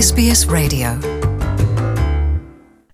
SBS Radio.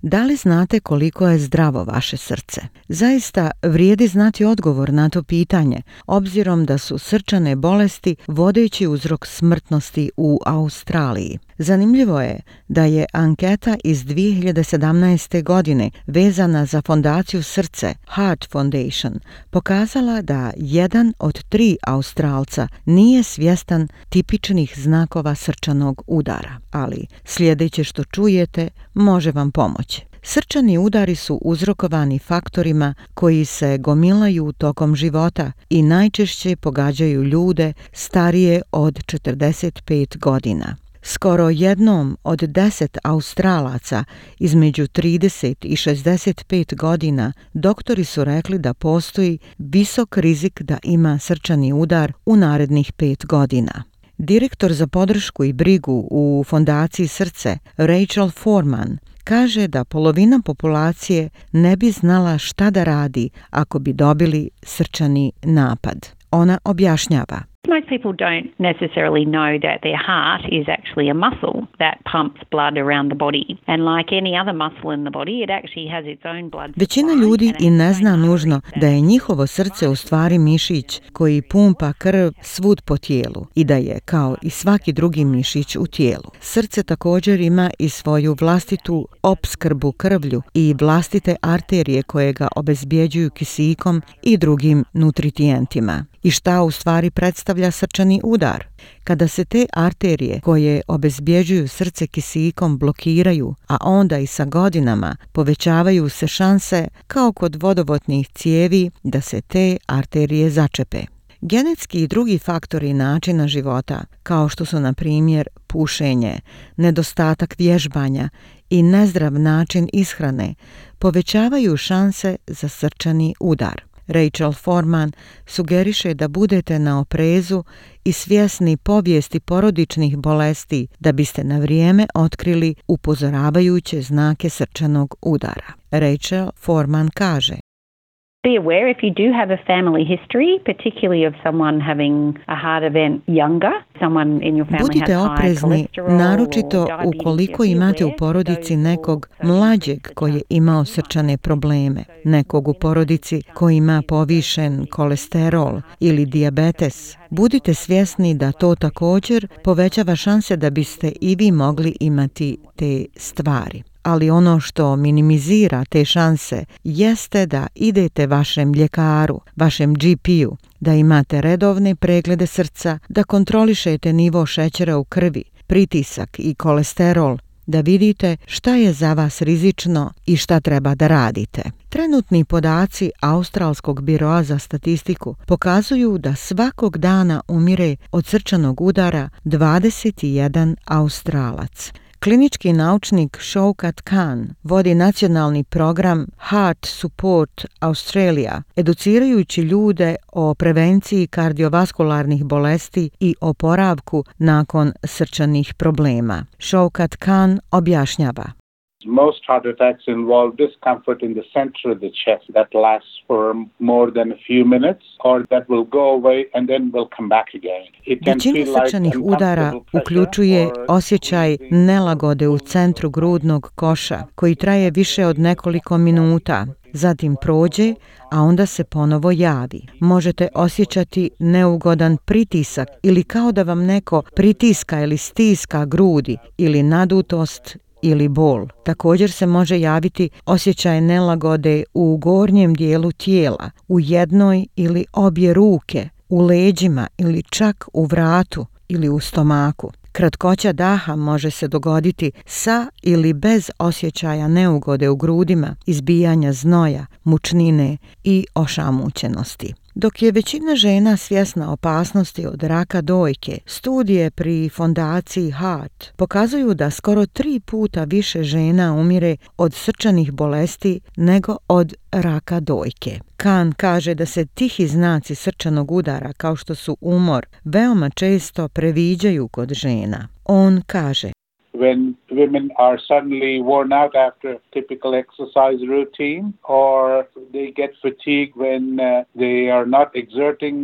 Da li znate koliko je zdravo vaše srce? Zaista vrijedi znati odgovor na to pitanje, obzirom da su srčane bolesti vodeći uzrok smrtnosti u Australiji. Zanimljivo je da je anketa iz 2017. godine vezana za fondaciju Srce, Heart Foundation, pokazala da 1 od 3 Australca nije svjestan tipičnih znakova srčanog udara. Ali sljedeće što čujete može vam pomoći. Srčani udari su uzrokovani faktorima koji se gomilaju tokom života i najčešće pogađaju ljude starije od 45 godina. Skoro jednom od 10 Australaca između 30 i 65 godina doktori su rekli da postoji visok rizik da ima srčani udar u narednih 5 godina. Direktor za podršku i brigu u fondaciji Srce, Rachel Foreman, kaže da polovina populacije ne bi znala šta da radi ako bi dobili srčani napad. Ona objašnjava. Most people don't necessarily know that their heart is actually a muscle that pumps blood around the body. And like any other muscle in the body, it actually has its own blood supply. Većina ljudi i ne zna nužno da je njihovo srce u stvari mišić koji pumpa krv svud po tijelu i da je, kao i svaki drugi mišić u tijelu. Srce također ima i svoju vlastitu opskrbu krvlju i vlastite arterije koje ga obezbjeđuju kisikom i drugim nutrijentima. I šta u stvari predstavlja srčani udar? Kada se te arterije koje obezbjeđuju srce kisikom blokiraju, a onda i sa godinama povećavaju se šanse, kao kod vodovodnih cijevi, da se te arterije začepe. Genetski i drugi faktori načina života, kao što su na primjer pušenje, nedostatak vježbanja i nezdrav način ishrane, povećavaju šanse za srčani udar. Rachel Foreman sugeriše da budete na oprezu i svjesni povijesti porodičnih bolesti da biste na vrijeme otkrili upozoravajuće znake srčanog udara. Rachel Foreman kaže: Be aware if you do have a family history, particularly of someone having a heart event younger, someone in your family Budite has high oprezni, cholesterol naročito or diabetes. ukoliko Be imate u aware porodici those nekog will mlađeg koji je imao srčane probleme, nekog u porodici koji ima povišen kolesterol ili dijabetes. Budite svjesni da to također povećava šanse da biste i vi mogli imati te stvari. Ali ono što minimizira te šanse jeste da idete vašem ljekaru, vašem GP-u, da imate redovne preglede srca, da kontrolišete nivo šećera u krvi, pritisak i kolesterol, da vidite šta je za vas rizično i šta treba da radite. Trenutni podaci Australskog biroa za statistiku pokazuju da svakog dana umire od srčanog udara 21 Australac. Klinički naučnik Shaukat Khan vodi nacionalni program Heart Support Australia, educirajući ljude o prevenciji kardiovaskularnih bolesti i oporavku nakon srčanih problema. Shaukat Khan objašnjava. Most heart attacks involve discomfort in the center of the chest that lasts for more than a few minutes or that will go away and then will come back again. Većina srčanih udara uključuje osjećaj nelagode u centru grudnog koša koji traje više od nekoliko minuta. Zatim prođe, a onda se ponovo javi. Možete osjećati neugodan pritisak ili kao da vam neko pritiska ili stiska grudi ili nadutost ili bol. Također se može javiti osjećaj nelagode u gornjem dijelu tijela, u jednoj ili obje ruke, u leđima ili čak u vratu ili u stomaku. Kratkoća daha može se dogoditi sa ili bez osjećaja neugode u grudima, izbijanja znoja, mučnine i ošamućenosti. Dok je većina žena svjesna opasnosti od raka dojke, studije pri fondaciji Heart pokazuju da skoro 3 puta više žena umire od srčanih bolesti nego od raka dojke. Khan kaže da se tihi znaci srčanog udara, kao što su umor, veoma često previđaju kod žena. On kaže: when women are suddenly worn out after a typical exercise routine, or they get fatigue when they are not exerting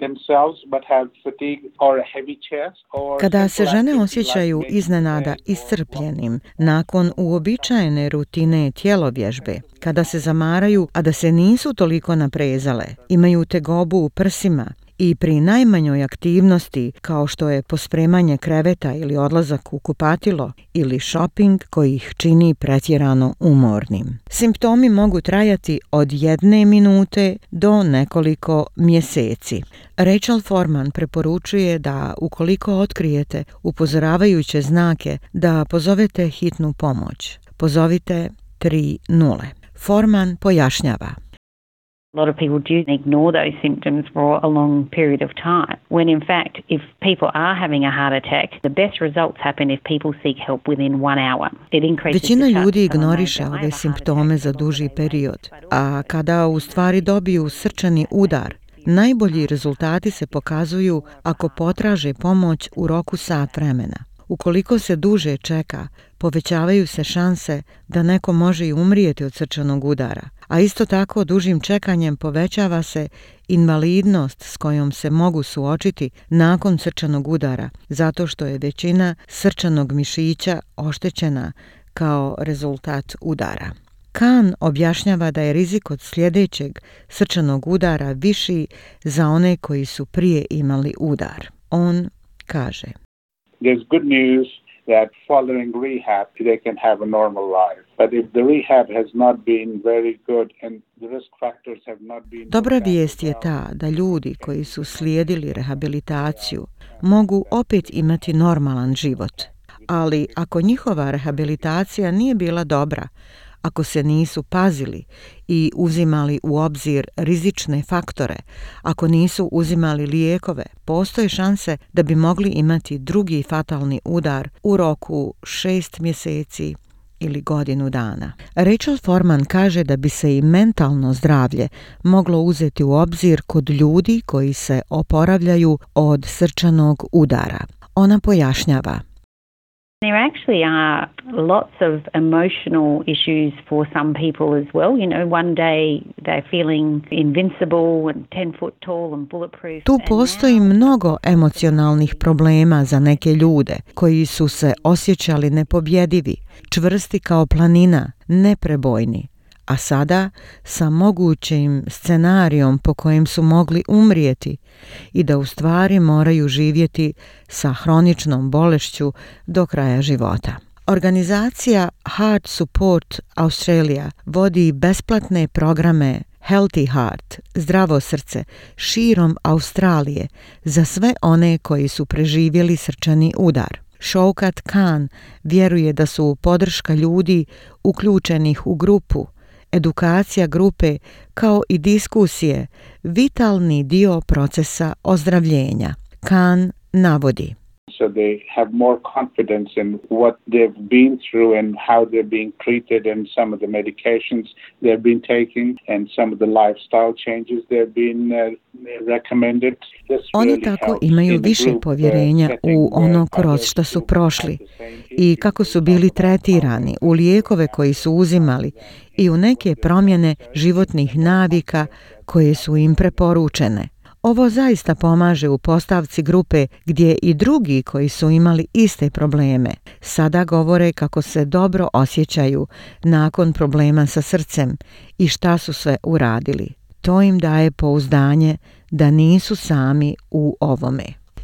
themselves but have fatigue or a heavy chest. Kada se žene osjećaju iznenada iscrpljenim nakon uobičajene rutine tjelovježbe, kada se zamaraju, a da se nisu toliko naprezale, imaju tegobu u prsima i pri najmanjoj aktivnosti kao što je pospremanje kreveta ili odlazak u kupatilo ili shopping koji ih čini pretjerano umornim. Simptomi mogu trajati od 1 minute do nekoliko mjeseci. Rachel Foreman preporučuje da ukoliko otkrijete upozoravajuće znake da pozovete hitnu pomoć. Pozovite 3-0. Foreman pojašnjava. A lot of people do ignore those symptoms for a long period of time, when in fact, if people are having a heart attack, the best results happen if people seek help within 1 hour. It increases the Većina chance ljudi of someone ignoriše may have a ove heart simptome attack za for duži longer period, periods. a kada u stvari dobiju srčani udar, najbolji rezultati se pokazuju ako potraže pomoć u roku sat vremena. Ukoliko se duže čeka, povećavaju se šanse da neko može i umrijeti od srčanog udara, a isto tako dužim čekanjem povećava se invalidnost s kojom se mogu suočiti nakon srčanog udara, zato što je većina srčanog mišića oštećena kao rezultat udara. Kahn objašnjava da je rizik od sljedećeg srčanog udara viši za one koji su prije imali udar. On kaže: There's good news that following rehab, they can have a normal life. But if the rehab has not been very good and the risk factors have not been... Dobra vijest je ta da ljudi koji su slijedili rehabilitaciju mogu opet imati normalan život. Ali ako njihova rehabilitacija nije bila dobra, ako se nisu pazili i uzimali u obzir rizične faktore, ako nisu uzimali lijekove, postoje šanse da bi mogli imati drugi fatalni udar u roku 6 mjeseci ili godinu dana. Rachel Foreman kaže da bi se i mentalno zdravlje moglo uzeti u obzir kod ljudi koji se oporavljaju od srčanog udara. Ona pojašnjava: There actually are lots of emotional issues for some people as well. You know, one day they're feeling invincible and 10 foot tall and bulletproof. Tu postoji mnogo emocionalnih problema za neke ljude koji su se osjećali nepobjedivi, čvrsti kao planina, neprebojni, a sada sa mogućim scenarijom po kojem su mogli umrijeti i da u stvari moraju živjeti sa hroničnom bolešću do kraja života. Organizacija Heart Support Australia vodi besplatne programe Healthy Heart, zdravo srce, širom Australije za sve one koji su preživjeli srčani udar. Shaukat Khan vjeruje da su podrška ljudi uključenih u grupu, edukacija grupe kao i diskusije vitalni dio procesa ozdravljenja. Khan navodi: So they have more confidence in what they've been through and how they're being treated and some of the medications they've been taking and some of the lifestyle changes they've been recommended. Oni tako imaju više povjerenja u ono kroz što su prošli i kako su bili tretirani, u lijekove koji su uzimali i u neke promjene životnih navika koje su im preporučene. Ovo zaista pomaže u postavci grupe gdje i drugi koji su imali iste probleme sada govore kako se dobro osjećaju nakon problema sa srcem i šta su sve uradili. To im daje pouzdanje da nisu sami u ovome.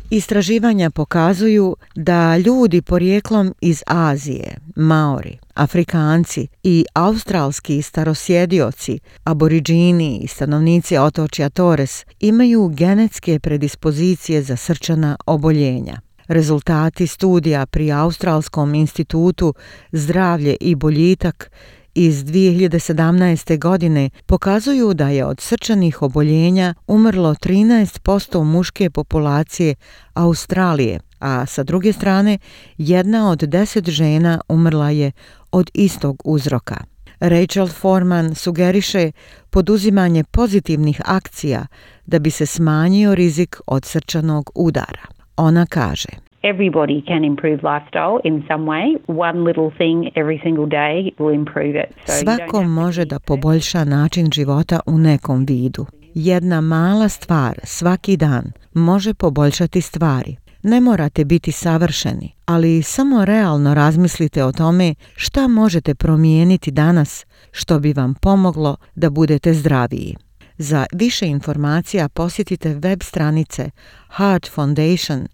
Istraživanja pokazuju da ljudi porijeklom iz Azije, Maori, Afrikanci i australski starosjedioci, aboriđini i stanovnici otočja Torres imaju genetske predispozicije za srčana oboljenja. Rezultati studija pri Australskom institutu Zdravlje i boljitak iz 2017. godine pokazuju da je od srčanih oboljenja umrlo 13% muške populacije Australije, a sa druge strane 1 od 10 žena umrla je od istog uzroka. Rachel Foreman sugeriše poduzimanje pozitivnih akcija da bi se smanjio rizik od srčanog udara. Ona kaže: Everybody can improve lifestyle in some way. One little thing every single day will improve it. Svako može da poboljša način života u nekom vidu. Jedna mala stvar svaki dan može poboljšati stvari. Ne morate biti savršeni, ali samo realno razmislite o tome šta možete promijeniti danas što bi vam pomoglo da budete zdraviji. Za više informacija posjetite web stranice Heart Foundation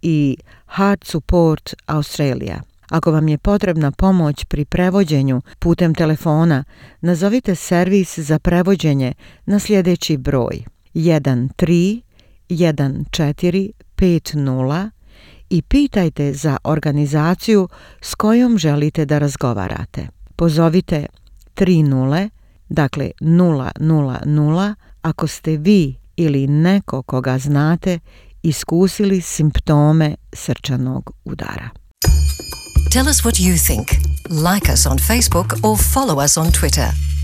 i Heart Support Australia. Ako vam je potrebna pomoć pri prevođenju putem telefona, nazovite servis za prevođenje na sljedeći broj 131450 i pitajte za organizaciju s kojom želite da razgovarate. Pozovite 30, dakle 000, ako ste vi ili neko koga znate iskusili simptome srčanog udara. Tell us what you think. Like us on Facebook or follow us on Twitter.